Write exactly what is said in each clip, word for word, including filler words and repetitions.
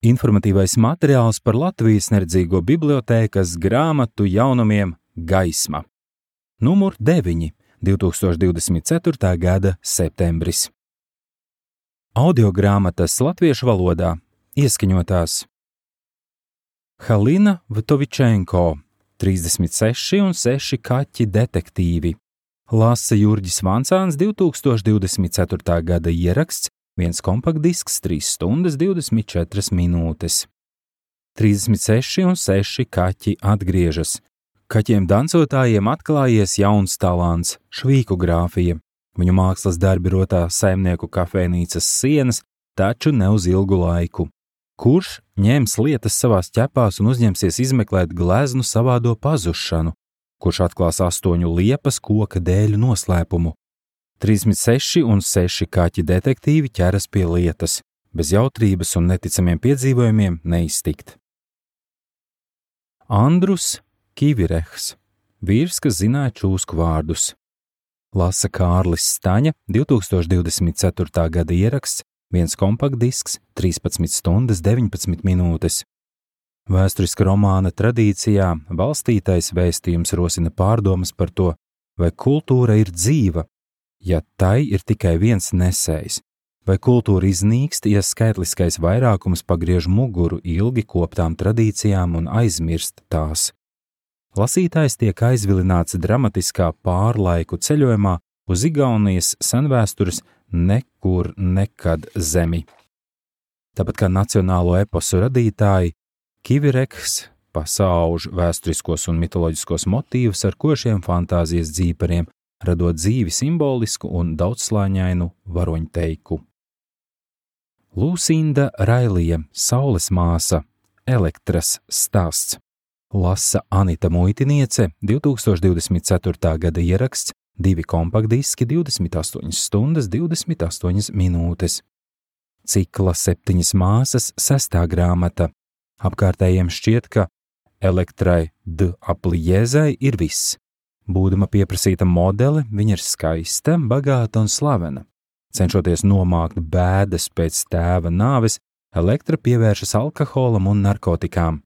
Informatīvais materiāls par Latvijas neredzīgo bibliotēkas grāmatu jaunumiem Gaisma. Numur deviņi, divs tūkstoši divdesmit ceturtā gada septembris. Audiogrāmatas latviešu valodā ieskaņotās Halina Vtovičenko, trīsdesmit seši un seši kaķi detektīvi. Lasa Jurģis Vancāns, divs tūkstoši divdesmit ceturtā gada ieraksts, viens kompaktdisks, trīs stundas divdesmit četras minūtes. trīsdesmit seši un seši kaķi atgriežas. Kaķiem dancotājiem atklājies jauns talants – švīkogrāfija. Viņu mākslas darbi rotā saimnieku kafejnīcas sienas, taču ne uz ilgu laiku. Kurš ņems lietas savās ķepās un uzņemsies izmeklēt gleznu savādo pazušanu? Kurš atklās astoņu liepas koka dēļu noslēpumu? trīsdesmit seši un seši kaķi detektīvi ķeras pie lietas, bez jautrības un neticamiem piedzīvojumiem neiztikt. Andrus Kivirehs, vīrs, kas zināja čūsku vārdus. Lasa Kārlis Staņa, divs tūkstoši divdesmit ceturtā gada ieraksts, viens kompaktdisks, trīspadsmit stundas deviņpadsmit minūtes. Vēsturiska romāna tradīcijā balstītais vēstījums rosina pārdomas par to, vai kultūra ir dzīva, ja tai ir tikai viens nesējs, vai kultūra iznīkst, ja skaitliskais vairākums pagriež muguru ilgi koptām tradīcijām un aizmirst tās. Lasītājs tiek aizvilināts dramatiskā pārlaiku ceļojumā uz Igaunijas senvēstures nekur nekad zemi. Tāpat kā nacionālo eposu radītāji, Kivirehs pasauž vēsturiskos un mitoloģiskos motīvus ar košiem fantāzijas dzīpariem, radot dzīvi simbolisku un daudzslāņainu varoņteiku. Lūsinda Railija, Saules māsa, Elektras stāsts. Lasa Anita Muitiniece, divs tūkstoši divdesmit ceturtā gada ieraksts, divi kompaktdiski, divdesmit astoņas stundas divdesmit astoņas minūtes. Cikla Septiņas māsas, sestā grāmata. Apkārtējiem šķiet, ka Elektrai D. Apliezai ir viss. Būdama pieprasīta modele, viņa ir skaista, bagāta un slavena. Cenšoties nomākt bēdas pēc tēva nāves, Elektra pievēršas alkoholam un narkotikām.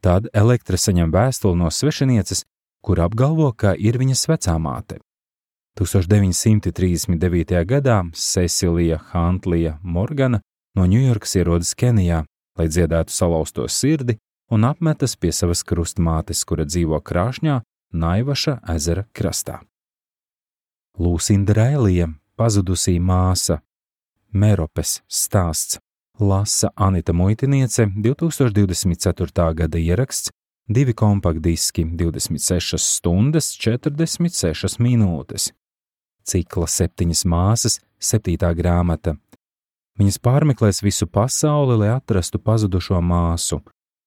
Tad Elektra saņem vēstuli no svešinieces, kur apgalvo, ka ir viņas vecāmāte. tūkstoš deviņsimt trīsdesmit devītajā gadā Cecilija Hantlija Morgana no Ņujorkas ierodas Kenijā, lai dziedētu salauzto sirdi un apmetas pie savas krustmātes, kura dzīvo Krāšņā, Naivaša ezera krastā. Lūsinda Railija, pazudusī māsa, Meropes stāsts. Lasa Anita Muitiniece, divs tūkstoši divdesmit ceturtā gada ieraksts, divi kompaktdiski, divdesmit sešas stundas četrdesmit sešas minūtes. Cikla Septiņas māsas, septītā grāmata. Viņas pārmeklēs visu pasauli, lai atrastu pazudušo māsu.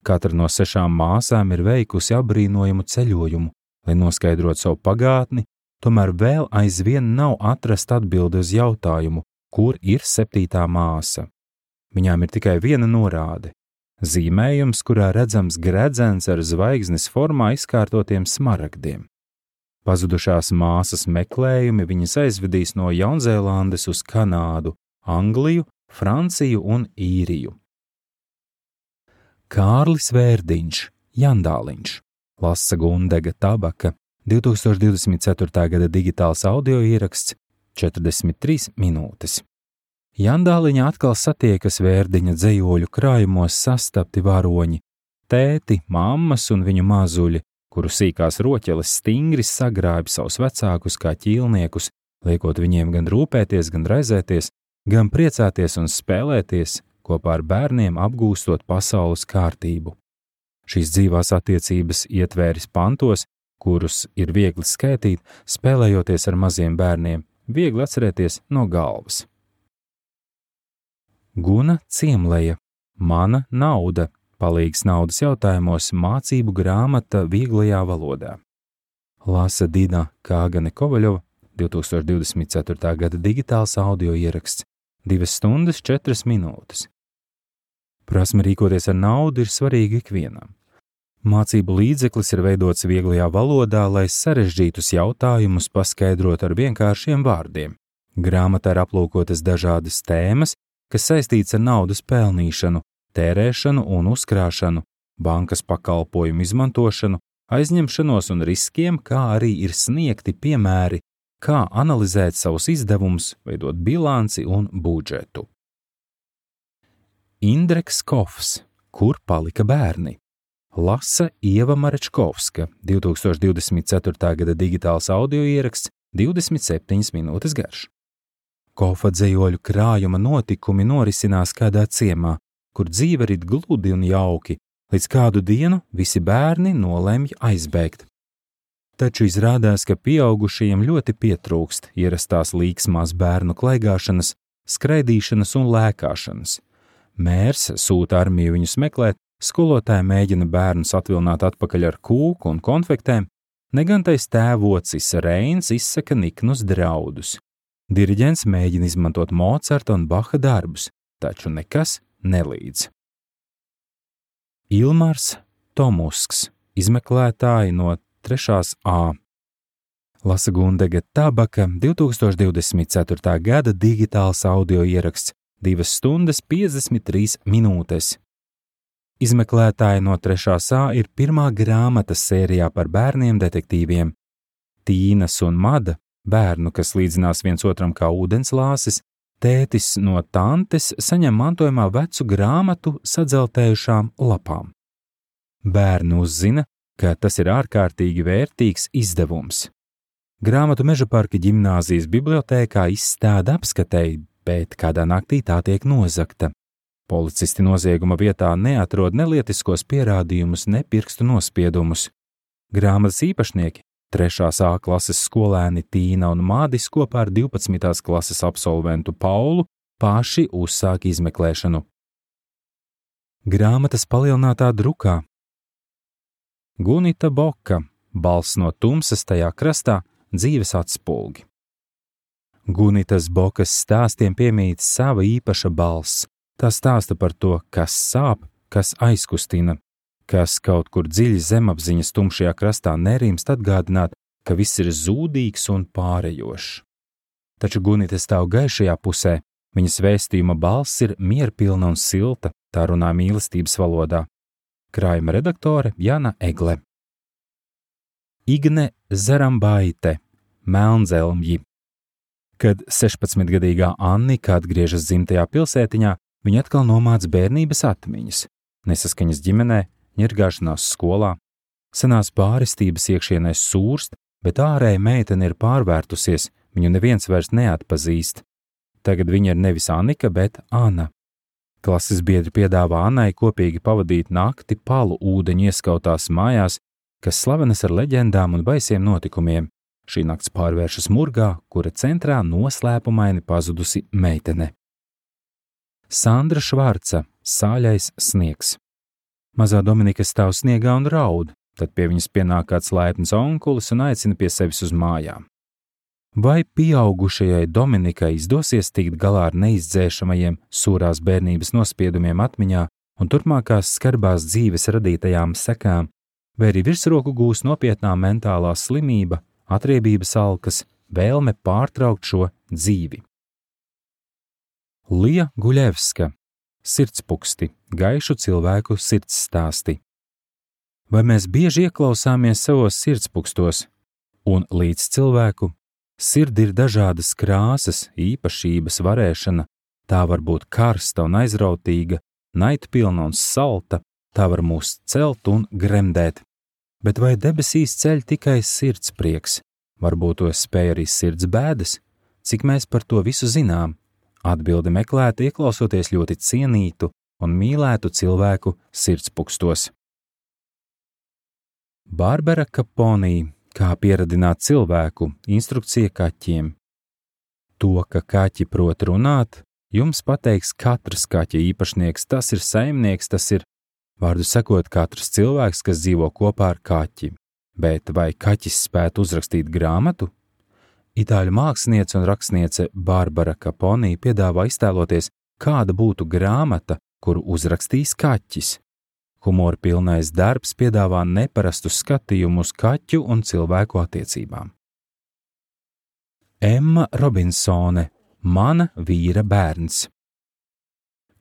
Katra no sešām māsām ir veikusi apbrīnojumu ceļojumu, lai noskaidrotu savu pagātni, tomēr vēl aizvien nav atrast atbildi uz jautājumu, kur ir septītā māsa. Viņām ir tikai viena norāde – zīmējums, kurā redzams gredzens ar zvaigznes formā izkārtotiem smaragdiem. Pazudušās māsas meklējumi viņas aizvedīs no Jaunzēlandes uz Kanādu, Angliju, Franciju un Īriju. Kārlis Vērdiņš, Jandāliņš. Lasa Gundega Tabaka, divs tūkstoši divdesmit ceturtā gada digitāls audio ieraksts, četrdesmit trīs minūtes. Jandāliņa atkal satiekas Vērdiņa dzejoļu krājumos sastapti varoņi, tēti, mammas un viņu mazuļi, kuru sīkās roķeles stingri sagrābi savus vecākus kā ķīlniekus, liekot viņiem gan rūpēties, gan raizēties, gan priecāties un spēlēties, kopā ar bērniem apgūstot pasaules kārtību. Šīs dzīvās attiecības ietvēris pantos, kurus ir viegli skaitīt, spēlējoties ar maziem bērniem, viegli atcerēties no galvas. Guna Ciemleja, Mana nauda, palīgs naudas jautājumos mācību grāmata vieglajā valodā. Lasa Dina Kāgane Kovaļova, divs tūkstoši divdesmit ceturtā gada digitāls audio ieraksts, divas stundas četras minūtes. Prasme rīkoties ar naudu ir svarīga ikvienam. Mācību līdzeklis ir veidots vieglajā valodā, lai sarežģītus jautājumus paskaidrot ar vienkāršiem vārdiem. Grāmatā ir aplūkotas dažādas tēmas, kas saistīts ar naudas pelnīšanu, tērēšanu un uzkrāšanu, bankas pakalpojumu izmantošanu, aizņemšanos un riskiem, kā arī ir sniegti piemēri, kā analizēt savus izdevumus, veidot bilanci un budžetu. Indreks Kofs, Kur palika bērni? Lasa Ieva Marečkovska, divs tūkstoši divdesmit ceturtā gada digitāls audio ieraksts, divdesmit septiņas minūtes garš. Kofa dzējoļu krājuma notikumi norisinās kādā ciemā, kur dzīve rit gludi un jauki, līdz kādu dienu visi bērni nolemj aizbēgt. Taču izrādās, ka pieaugušajiem ļoti pietrūkst ierastās līksmās bērnu klaigāšanas, skraidīšanas un lēkāšanas. Mērs sūta armiju viņus meklēt, skolotāji mēģina bērnus atvilināt atpakaļ ar kūku un konfektēm, negantais tēvocis Reins izsaka niknus draudus. Diriģents mēģina izmantot Mocarta un Baha darbus, taču nekas nelīdz. Ilmars Tomusks, izmeklētāji no trešās A. Lasa Gundega Tabaka, divs tūkstoši divdesmit ceturtā gada digitāls audio ieraksts, divas stundas piecdesmit trīs minūtes. Izmeklētāji no trešās A ir pirmā grāmata sērijā par bērniem detektīviem. Tīnas un Mada, bērnu, kas līdzinās viens otram kā ūdenslāsis, tētis no tantes saņem mantojumā vecu grāmatu sadzeltējušām lapām. Bērni uzzina, ka tas ir ārkārtīgi vērtīgs izdevums. Grāmatu Mežaparka ģimnāzijas bibliotēkā izstāda apskatēji, bet kādā naktī tā tiek nozagta. Policisti nozieguma vietā neatrod nelietiskos pierādījumus, ne pirkstu nospiedumus. Grāmatas īpašnieki, trešās A klases skolēni Tīna un Mādis kopā ar divpadsmitās klases absolventu Paulu paši uzsāk izmeklēšanu. Grāmatas palielinātā drukā. Gunita Boka, Balss no tumsas tajā krastā, dzīves atspulgi. Gunitas Bokas stāstiem piemīt sava īpaša balss. Tā stāsta par to, kas sāp, kas aizkustina, kas kaut kur dziļi zemapziņas tumšajā krastā nerimst atgādināt, ka viss ir zūdīgs un pārejošs. Taču Gunita stāv gaišajā pusē, viņas vēstījuma balss ir mierpilna un silta, tā runā mīlestības valodā. Krājuma redaktore Jana Egle. Igne Zarambaite, Melnzelmji. Kad sešpadsmitgadīgā Annika atgriežas dzimtajā pilsētiņā, viņa atkal nomāc bērnības atmiņas, nesaskaņas ģimenē, ņirgāšanās skolā, senās pārestības iekšienē sūrst, bet ārēji meitene ir pārvērtusies, viņu neviens vairs neatpazīst. Tagad viņa ir nevis Annika, bet Ana. Klases biedri piedāvā Annai kopīgi pavadīt nakti palu ūdeņu ieskautās mājās, kas slavenas ar leģendām un baisiem notikumiem. Šī nakts pārvēršas murgā, kura centrā noslēpumaini pazudusi meitene. Sandra Švarca, Sāļais sniegs. Mazā Dominika stāv sniegā un raud, tad pie viņas pienāk kāds laipns onkulis un aicina pie sevis uz mājām. Vai pieaugušajai Dominikai izdosies tikt galā ar neizdzēšamajiem sūrās bērnības nospiedumiem atmiņā un turpmākās skarbās dzīves radītajām sekām, vai arī virsroku gūs nopietnā mentālā slimība, atriebības alkas, vēlme pārtraukt šo dzīvi? Lija Guļevska, Sirdspuksti, gaišu cilvēku sirdsstāsti. Vai mēs bieži ieklausāmies savos sirdspunkstos? Un līdz cilvēku sirdi ir dažādas krāsas, īpašības, varēšana, tā var būt karsta un aizrautīga, naidpilna un salta, tā var mūs celt un gremdēt. Bet vai debesīs ceļ tikai sirds prieks? Varbūt to spēj arī sirds bēdas? Cik mēs par to visu zinām? Atbildi meklēt, ieklausoties ļoti cienītu un mīlētu cilvēku sirdspunkstos. Barbara Kaponī, Kā pieradināt cilvēku, instrukcija kaķiem. To, ka kaķi prot runāt, jums pateiks katrs kaķa īpašnieks, tas ir saimnieks, tas ir, vārdu sakot, katrs cilvēks, kas dzīvo kopā ar kaķi. Bet vai kaķis spētu uzrakstīt grāmatu? Itāļu māksliniece un rakstniece Barbara Kaponī piedāvā iztēloties, kāda būtu grāmata, kuru uzrakstīs kaķis. Humora pilnais darbs piedāvā neparastu skatījumu uz kaķu un cilvēku attiecībām. Emma Robinsone, Mana vīra bērns.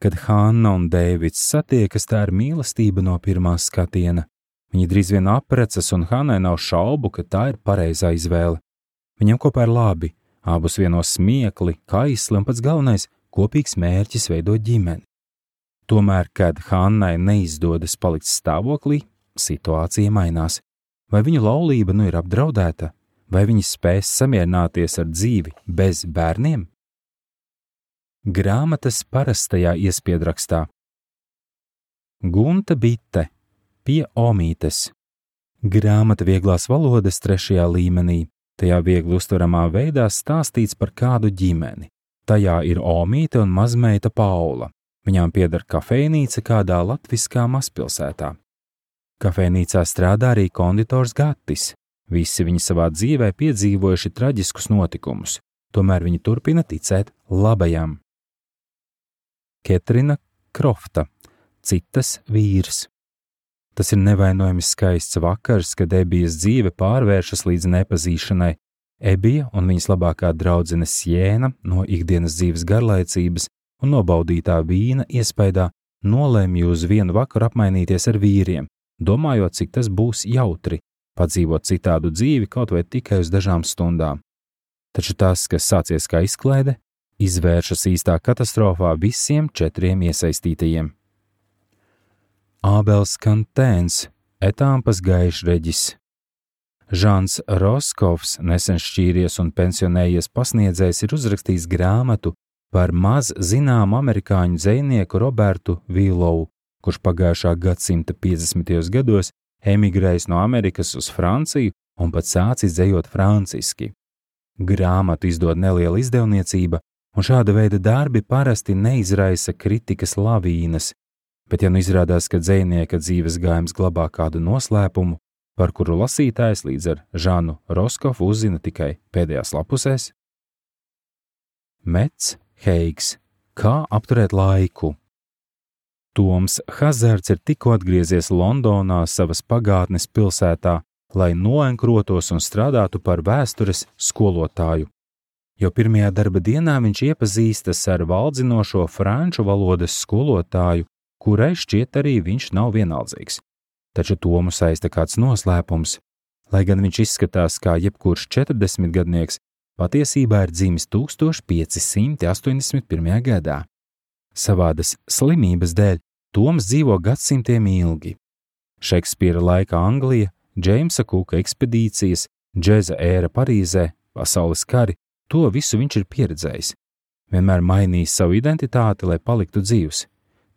Kad Hanna un Deivids satiekas, tā ir mīlestība no pirmā skatiena. Viņi drīz vien apprecas, un Hannai nav šaubu, ka tā ir pareizā izvēle. Viņam kopā ir labi, abus vieno smiekli, kaisli un pats galvenais – kopīgs mērķis veidot ģimeni. Tomēr, kad Hannai neizdodas palikt stāvoklī, situācija mainās. Vai viņu laulība nu ir apdraudēta? Vai viņi spēs samierināties ar dzīvi bez bērniem? Grāmatas parastajā iespiedrakstā. Gunta Bite pie Omītes. Grāmata vieglās valodas trešajā līmenī. Tajā viegli uztveramā veidā stāstīts par kādu ģimeni. Tajā ir Omīte un mazmeita Paula. Viņām pieder kafejnīca kādā latviskā mazpilsētā. Kafejnīcā strādā arī konditors Gatis. Visi viņi savā dzīvē piedzīvojuši traģiskus notikumus, tomēr viņi turpina ticēt labajam. Ketrina Krofta, citas vīrs. Tas ir nevainojami skaists vakars, kad Ebijas dzīve pārvēršas līdz nepazīšanai. Ebija un viņas labākā draudzene Sjēna no ikdienas dzīves garlaicības un nobaudītā vīna iespaidā nolēmj uz vienu vakaru apmainīties ar vīriem, domājot, cik tas būs jautri, padzīvot citādu dzīvi kaut vai tikai uz dažām stundām. Taču tas, kas sācies kā izklaide, izvēršas īstā katastrofā visiem četriem iesaistītajiem. Ābels Kantēns, etāmpas gaišreģis. Žans Roskovs, nesen šķīries un pensionējies pasniedzējs, ir uzrakstījis grāmatu par maz zināmu amerikāņu dzejnieku Robertu Vīlovu, kurš pagājušā gadsimta piecdesmitajos gados emigrējis no Amerikas uz Franciju un pat sācis dzejot franciski. Grāmatu izdod neliela izdevniecība, un šāda veida darbi parasti neizraisa kritikas lavīnas, bet ja nu izrādās, ka dzejnieka dzīves gājums glabā kādu noslēpumu, par kuru lasītājs līdz ar Žanu Roskovu uzzina tikai pēdējās lapusēs. Mets Heigs. Kā apturēt laiku? Toms Hazards ir tikko atgriezies Londonā savas pagātnes pilsētā, lai noenkrotos un strādātu par vēstures skolotāju. Jau pirmajā darba dienā viņš iepazīstas ar valdzinošo franču valodas skolotāju, kurai šķiet arī viņš nav vienaldzīgs. Taču Tomu saista kāds noslēpums. Lai gan viņš izskatās kā jebkurš četrdesmitgadnieks, patiesībā ir dzimis tūkstoš pieci simti astoņdesmit pirmajā gadā. Savādas slimības dēļ Toms dzīvo gadsimtiem ilgi. Šekspīra laika Anglija, Džeimsa Kuka ekspedīcijas, džeza ēra Parīzē, pasaules kari, to visu viņš ir pieredzējis. Vienmēr mainījis savu identitāti, lai paliktu dzīvs.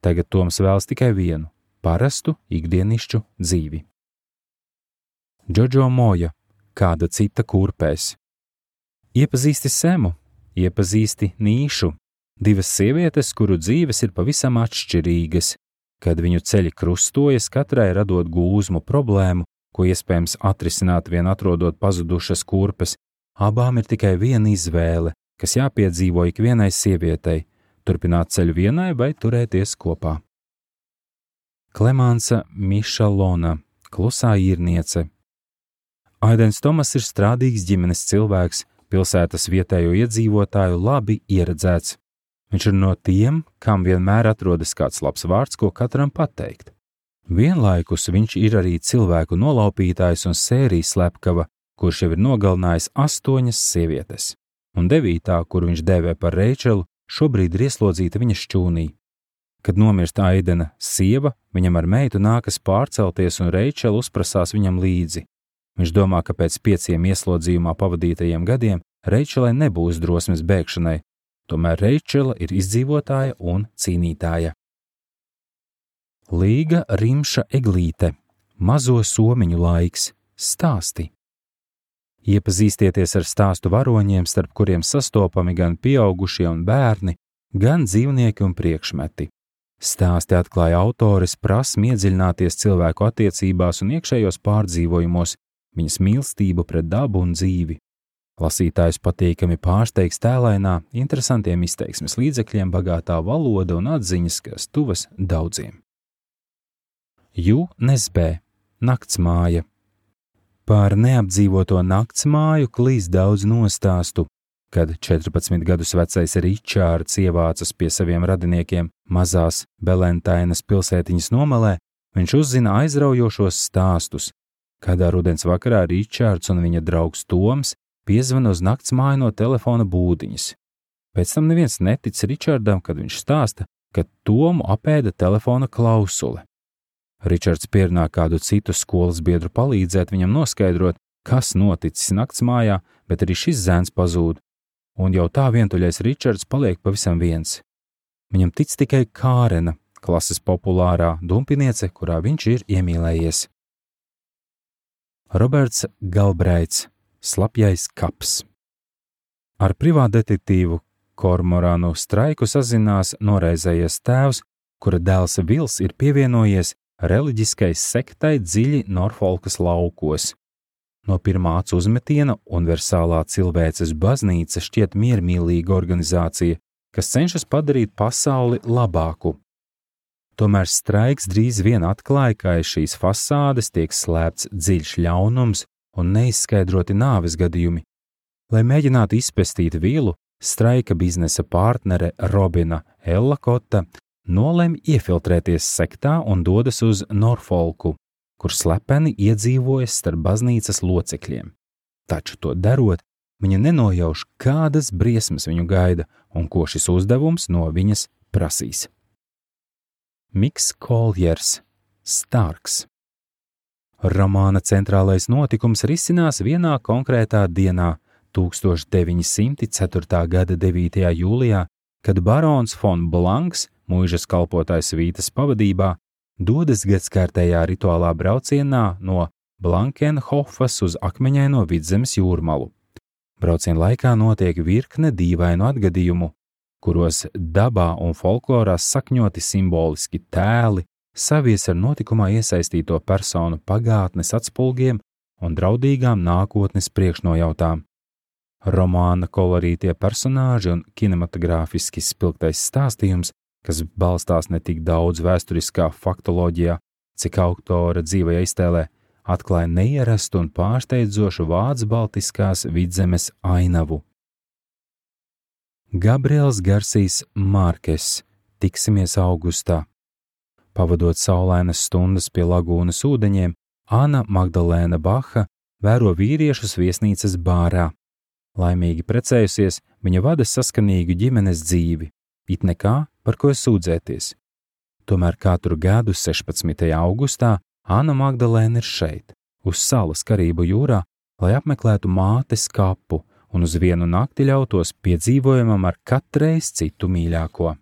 Tagad Toms vēlas tikai vienu – parastu, ikdienišķu dzīvi. Džodžo Moja. Kāda cita kurpēs. Iepazīsti Semu, iepazīsti Nīšu, divas sievietes, kuru dzīves ir pavisam atšķirīgas. Kad viņu ceļi krustojas, katrai radot gūzmu problēmu, ko iespējams atrisināt vien atrodot pazudušas kurpes, abām ir tikai viena izvēle, kas jāpiedzīvo ikvienai sievietei – turpināt ceļu vienai vai turēties kopā. Klemānsa Mišalona, klusā īrniece. Aidens Tomas ir strādīgs ģimenes cilvēks, pilsētas vietējo iedzīvotāju labi ieredzēts. Viņš ir no tiem, kam vienmēr atrodas kāds labs vārds, ko katram pateikt. Vienlaikus viņš ir arī cilvēku nolaupītājs un sērijas slepkava, kurš jau ir nogalinājis astoņas sievietes. Un devītā, kuru viņš dēvē par Reičelu, šobrīd ir ieslodzīta viņa šķūnī. Kad nomirst Aidena sieva, viņam ar meitu nākas pārcelties un Reičela uzprasās viņam līdzi. Viņš domā, ka pēc pieciem ieslodzījumā pavadītajiem gadiem Reičelai nebūs drosmes bēgšanai, tomēr Reičela ir izdzīvotāja un cīnītāja. Līga Rimša Eglīte. Mazo somiņu laiks. Stāsti. Iepazīstieties ar stāstu varoņiem, starp kuriem sastopami gan pieaugušie un bērni, gan dzīvnieki un priekšmeti. Stāsti atklāja autores prasmi iedziļināties cilvēku attiecībās un iekšējos pārdzīvojumos, viņas mīlestību pret dabu un dzīvi. Lasītājus patīkami pārsteigs tēlainā, interesantiem izteiksmes līdzekļiem bagātā valoda un atziņas, kas tuvas daudziem. Jū Nesbē. Naktsmāja. Par neapdzīvoto naktsmāju klīst daudz nostāstu. Kad četrpadsmit gadus vecais Ričārds ievācas pie saviem radiniekiem mazās Belentainas pilsētiņas nomalē, viņš uzzina aizraujošos stāstus. Kādā rudens vakarā Ričārds un viņa draugs Toms piezvana uz naktsmāju no telefona būdiņas. Pēc tam neviens netic Ričārdam, kad viņš stāsta, ka Tomu apēda telefona klausule. Ričards pierunā kādu citu skolas biedru palīdzēt viņam noskaidrot, kas noticis naktsmājā, bet arī šis zēns pazūd, un jau tā vientuļais Ričards paliek pavisam viens. Viņam tic tikai Kārena, klases populārā dumpiniece, kurā viņš ir iemīlējies. Roberts Galbraits, Slapjais kaps. Ar privātdetektīvu Kormorānu Straiku sazinās noraizējies tēvs, kura dēls Vils ir pievienojies reliģiskai sektai dziļi Norfolkas laukos. No pirmā acu uzmetiena Universālā cilvēces baznīca šķiet miermīlīga organizācija, kas cenšas padarīt pasauli labāku. Tomēr Straiks drīz vien atklāja, ka aiz šīs fasādes tiek slēpts dziļš ļaunums un neizskaidroti nāves gadījumi. Lai mēģinātu izpestīt Vilu, Straika biznesa partnere Robina Ellakota nolemj iefiltrēties sektā un dodas uz Norfolku, kur slepeni iedzīvojas starp baznīcas locekļiem. Taču to darot, viņa nenojauš, kādas briesmas viņu gaida un ko šis uzdevums no viņas prasīs. Miks Koljers, Starks. Romāna centrālais notikums risinās vienā konkrētā dienā, tūkstoš deviņi simti ceturtā gada devītajā jūlijā, kad barons Fon Blanks, mūžas kalpotājs Vītas pavadībā, dodas gadskārtējā rituālā braucienā no Blankenhofas uz akmeņaino Vidzemes jūrmalu. Brauciena laikā notiek virkne dīvainu atgadījumu, kuros dabā un folklorā sakņoti simboliski tēli savies ar notikumā iesaistīto personu pagātnes atspulgiem un draudīgām nākotnes priekšnojautām. Romāna kolorītie personāži un kinematogrāfiski spilgtais stāstījums, kas balstās ne tik daudz vēsturiskā faktoloģijā, cik autora dzīvajā iztēlē, atklāja neierastu un pārsteidzošu vācu-baltiskās Vidzemes ainavu. Gabriels Garsijs Mārkes, Tiksimies augustā. Pavadot saulainas stundas pie lagūnas ūdeņiem, Anna Magdalēna Baha vēro vīriešus viesnīcas bārā. Laimīgi precējusies, viņa vada saskanīgu ģimenes dzīvi, it nekā, par ko sūdzēties. Tomēr katru gadu sešpadsmitajā augustā Anna Magdalēna ir šeit, uz salas Karību jūrā, lai apmeklētu mātes kapu un uz vienu nakti ļautos piedzīvojumam ar katreiz citu mīļāko.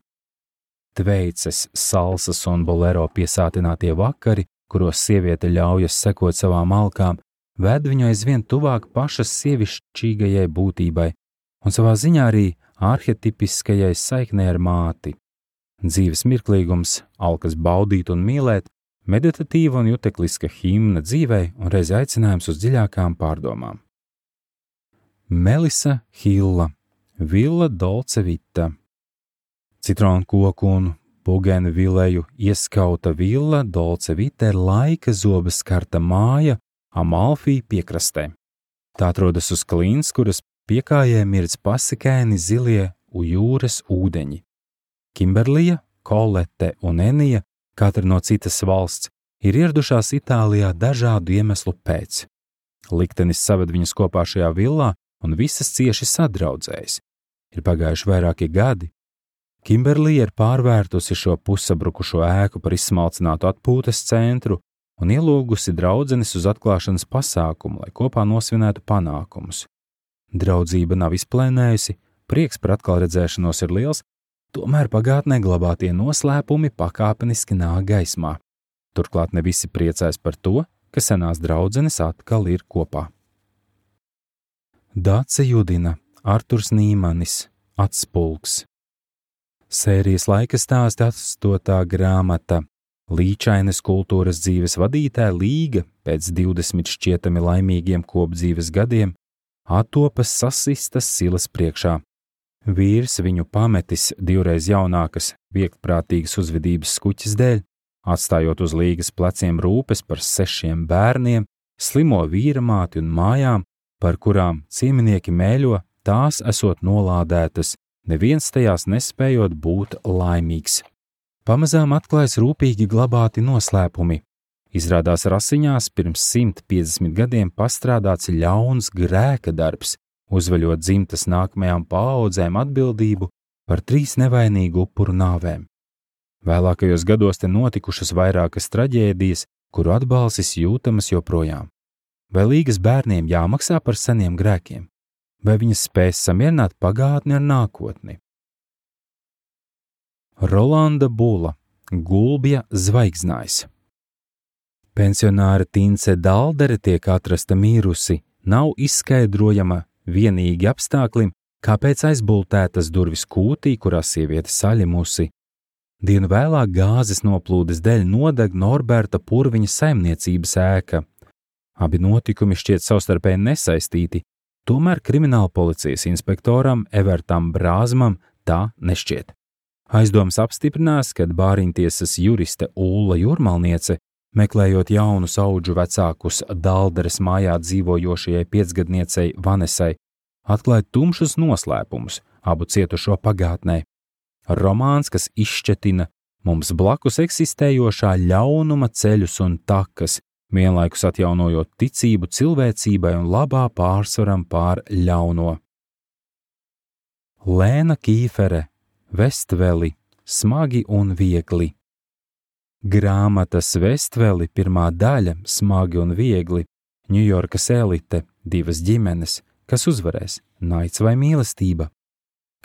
Tveices, salsas un bolero piesātinātie vakari, kuros sieviete ļaujas sekot savām alkām, ved viņu aizvien tuvāk pašas sievišķīgajai būtībai un savā ziņā arī arhetipiskajai saiknei ar māti. Dzīves mirklīgums, alkas baudīt un mīlēt, meditatīva un jutekliska himna dzīvei un reiz aicinājums uz dziļākām pārdomām. Melisa Hilla, Villa Dolce Vita. Citronu koku un bugenu vileju ieskauta Villa Dolce Vita ir laika zoba skarta māja Amalfī piekrastē. Tā atrodas uz klīns, kuras piekājē mirdz pasakēni zilie jūras ūdeņi. Kimberlija, Kolete un Enija, katra no citas valsts, ir ieradušās Itālijā dažādu iemeslu pēc. Liktenis saved viņas kopā šajā villā un visas cieši sadraudzējas. Ir pagājuši vairāki gadi. Kimberlija ir pārvērtusi šo pussabrukušo ēku par izsmalcinātu atpūtas centru un ielūgusi draudzenes uz atklāšanas pasākumu, lai kopā nosvinētu panākumus. Draudzība nav izplēnējusi, prieks par atkal redzēšanos ir liels, tomēr pagātnē glabātie noslēpumi pakāpeniski nāk gaismā. Turklāt ne visi priecājas par to, ka senās draudzenes atkal ir kopā. Dace Judina, Arturs Nīmanis, Atspulgs. Sērijas laika stāsti astotā grāmata. Līčainas kultūras dzīves vadītāja Līga pēc divdesmit šķietami laimīgiem kopdzīves gadiem attopas sasistas silas priekšā. Vīrs viņu pametis divreiz jaunākas, vieglprātīgas uzvedības skuķes dēļ, atstājot uz Līgas pleciem rūpes par sešiem bērniem, slimo vīramāti un mājām, par kurām cieminieki mēļo, tās esot nolādētas, neviens tajās nespējot būt laimīgs. Pamazām atklājas rūpīgi glabāti noslēpumi. Izrādās rasiņās pirms simt piecdesmit gadiem pastrādāts ļauns grēka darbs, uzveļot dzimtas nākamajām paaudzēm atbildību par trīs nevainīgu upuru nāvēm. Vēlākajos gados te notikušas vairākas traģēdijas, kuru atbalsis jūtamas joprojām. Vai līgas bērniem jāmaksā par seniem grēkiem? Vai viņas spēs samierināt pagātni ar nākotni? Rolanda Bula, Gulbja zvaigznājs. Pensionāra Tince Daldere tiek atrasta mīrusi, nav izskaidrojama vienīgi apstākļiem, kāpēc aizbultētas durvis kūtī, kurā sieviete saļimusi. Dienu vēlāk gāzes noplūdes dēļ nodeg Norberta Purviņa saimniecības ēka. Abi notikumi šķiet savstarpēji nesaistīti, tomēr krimināla policijas inspektoram Evertam Brāzmam tā nešķiet. Aizdomas apstiprinās, kad bāriņtiesas juriste Ulla Jurmalniece, meklējot jaunus audžu vecākus Dalderes mājā dzīvojošajai piecgadniecei Vanesai, atklāja tumšus noslēpumus abu cietušo pagātnē. Romāns, kas izšķetina mums blakus eksistējošā ļaunuma ceļus un takas, vienlaikus atjaunojot ticību cilvēcībai un labā pārsvaram pār ļauno. Lēna Kīfere, Vestveli, smagi un viegli. Grāmatas Vestveli pirmā daļa, smagi un viegli, Ņujorkas elite, divas ģimenes, kas uzvarēs, naids vai mīlestība.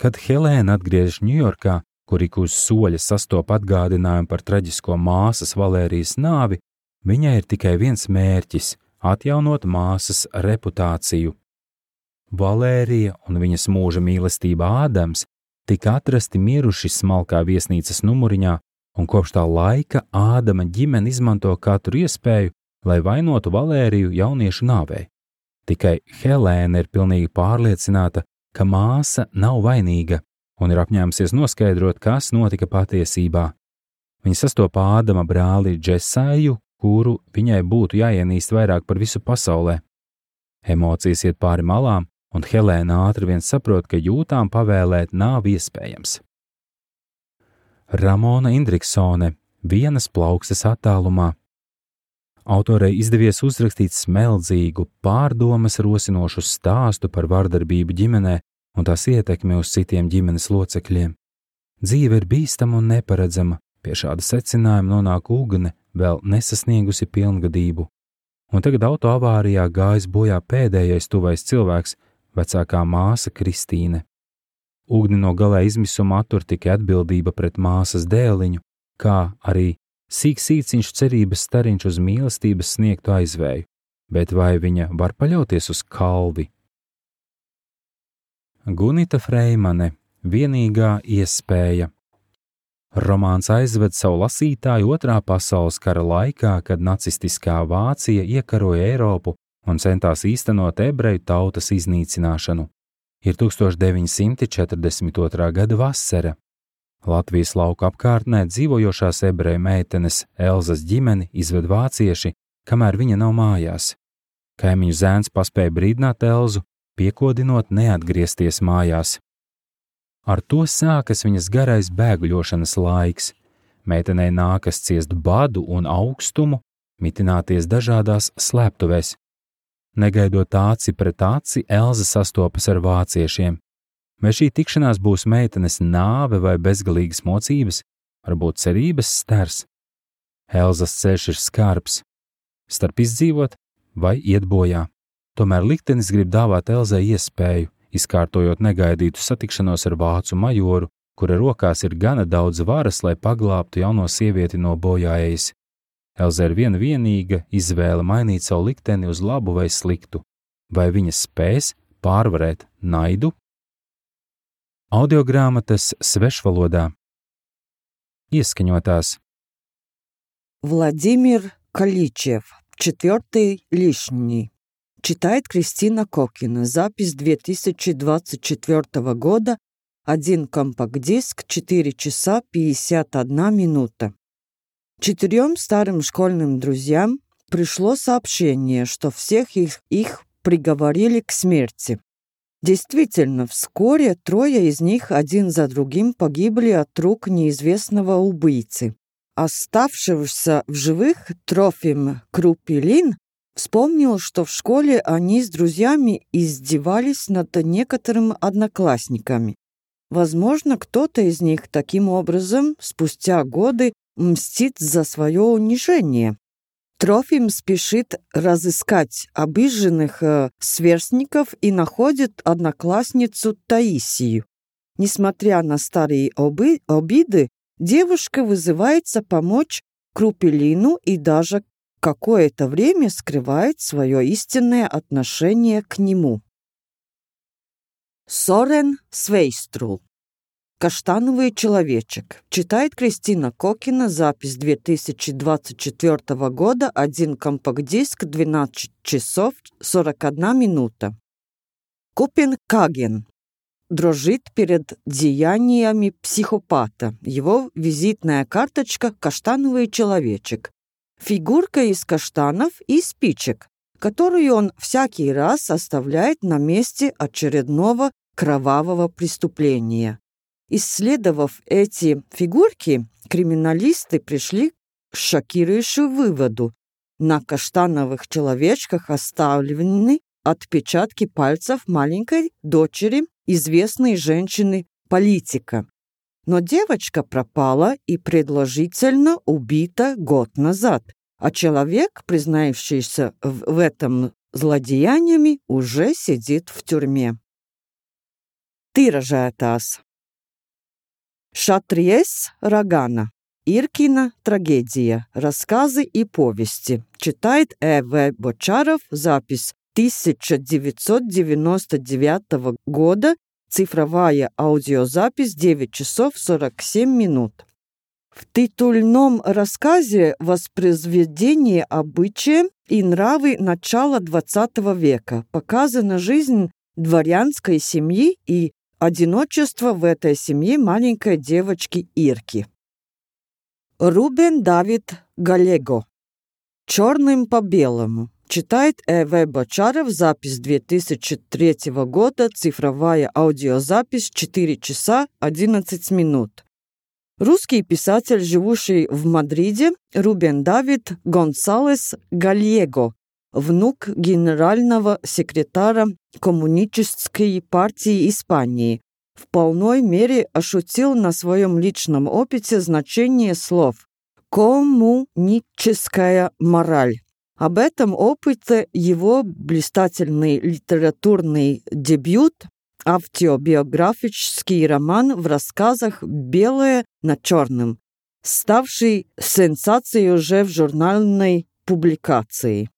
Kad Helēna atgriežas Ņujorkā, kur ik uz soļa sastop atgādinājumu par traģisko māsas Valērijas nāvi, viņai ir tikai viens mērķis – atjaunot māsas reputāciju. Valērija un viņas mūža mīlestība Ādams tika atrasti miruši smalkā viesnīcas numuriņā, un kopš tā laika Ādama ģimene izmanto katru iespēju, lai vainotu Valēriju jauniešu nāvē. Tikai Helēna ir pilnīgi pārliecināta, ka māsa nav vainīga un ir apņēmusies noskaidrot, kas notika patiesībā. Viņa sastopa Ādama brāli Džesaju, kuru viņai būtu jāienīst vairāk par visu pasaulē. Emocijas iet pāri malām, un Helēna ātri vien saprot, ka jūtām pavēlēt nav iespējams. Ramona Indriksone, Vienas plaukstes attālumā. Autorei izdevies uzrakstīt smeldzīgu, pārdomas rosinošu stāstu par vardarbību ģimenē un tās ietekmi uz citiem ģimenes locekļiem. Dzīve ir bīstama un neparedzama, pie šāda secinājuma nonāk Ugne, vēl nesasniegusi pilngadību. Un tagad auto avārijā gājis bojā pēdējais tuvais cilvēks, vecākā māsa Kristīne. Ugni no galā izmisuma attur tikai atbildība pret māsas dēliņu, kā arī sīk sīciņš cerības stariņš uz mīlestības sniegtu aizvēju, bet vai viņa var paļauties uz kalvi? Gunita Freimane, Vienīgā iespēja. Romāns aizved savu lasītāju otrā pasaules kara laikā, kad nacistiskā Vācija iekaroja Eiropu un centās īstenot ebreju tautas iznīcināšanu. Ir tūkstoš deviņi simti četrdesmit otrā gada vasara. Latvijas lauku apkārtnē dzīvojošās ebreju meitenes Elzas ģimeni izved vācieši, kamēr viņa nav mājās. Kaimiņu zēns paspēja brīdināt Elzu, piekodinot neatgriezties mājās. Ar to sākas viņas garais bēguļošanas laiks. Meitenei nākas ciest badu un augstumu, mitināties dažādās slēptuvēs. Negaidot aci pret aci, Elza sastopas ar vāciešiem. Vai šī tikšanās būs meitenes nāve vai bezgalīgas mocības, varbūt cerības stars? Elzas ceļš ir skarbs. Starp izdzīvot vai iet bojā. Tomēr liktenis grib dāvāt Elzai iespēju, izkārtojot negaidītu satikšanos ar vācu majoru, kura rokās ir gana daudz varas, lai paglābtu jauno sievieti no bojāejas. Elza ir viena vienīga izvēle mainīt savu likteni uz labu vai sliktu. Vai viņa spēs pārvarēt naidu? Audiogrāmatas svešvalodā. Ieskaņotās. Владимир Каличев. Четвертый лишний. Читает Кристина Кокина. Запись две тысячи двадцать четвёртого года. Один компакт-диск, четыре часа пятьдесят одна минута. Четырем старым школьным друзьям пришло сообщение, что всех их, их приговорили к смерти. Действительно, вскоре трое из них один за другим погибли от рук неизвестного убийцы. Оставшийся в живых Трофим Крупилин вспомнил, что в школе они с друзьями издевались над некоторыми одноклассниками. Возможно, кто-то из них таким образом спустя годы мстит за свое унижение. Трофим спешит разыскать обиженных э, сверстников и находит одноклассницу Таисию. Несмотря на старые оби- обиды, девушка вызывается помочь Крупилину и даже какое-то время скрывает свое истинное отношение к нему. Сорен Свейструл. «Каштановый человечек». Читает Кристина Кокина. Запись две тысячи двадцать четвёртого года. Один компакт-диск. двенадцать часов сорок одна минута. Копенгаген. Дрожит перед деяниями психопата. Его визитная карточка «Каштановый человечек». Фигурка из каштанов и спичек, которую он всякий раз оставляет на месте очередного кровавого преступления. Исследовав эти фигурки, криминалисты пришли к шокирующему выводу. На каштановых человечках оставлены отпечатки пальцев маленькой дочери известной женщины-политика. Но девочка пропала и предположительно убита год назад, а человек, признающийся в, в этом злодеяниями, уже сидит в тюрьме. Тiražētājs. Шатриес Рогана. Иркина трагедия. Рассказы и повести. Читает Э В Бочаров. Запись тысяча девятьсот девяносто девятого года. Цифровая аудиозапись девять часов сорок семь минут. В титульном рассказе воспроизведение обычаи и нравы начала двадцатого века показана жизнь дворянской семьи и одиночество в этой семье маленькой девочки Ирки. Рубен Давид Галего. «Черным по белому». Читает Э В Бочаров. Запись две тысячи третьего года. Цифровая аудиозапись четыре часа одиннадцать минут. Русский писатель, живущий в Мадриде, Рубен Давид Гонсалес Галего, внук генерального секретаря Коммунистической партии Испании, в полной мере ощутил на своем личном опыте значение слов «коммуническая мораль». Об этом опыте его блистательный литературный дебют, автобиографический роман в рассказах «Белое на черном», ставший сенсацией уже в журнальной публикации.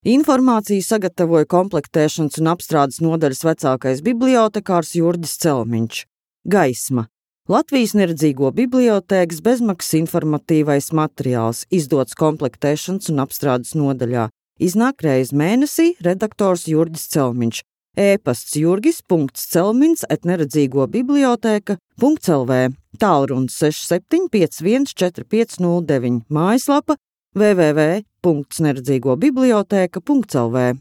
Informāciju sagatavoja komplektēšanas un apstrādes nodaļas vecākais bibliotekārs Jurģis Celmiņš. Gaisma. Latvijas neredzīgo bibliotēkas bezmaksas informatīvais materiāls, izdots komplektēšanas un apstrādes nodaļā. Iznāk reiz mēnesī, redaktors Jurģis Celmiņš. E-pasts jurgis.celmins et neredzīgo bibliotēka.lv. Tālrunis seši septiņi pieci viens četri pieci nulle deviņi. Mājaslapa w w w punkt neredzīgo bibliotēka punkt l v.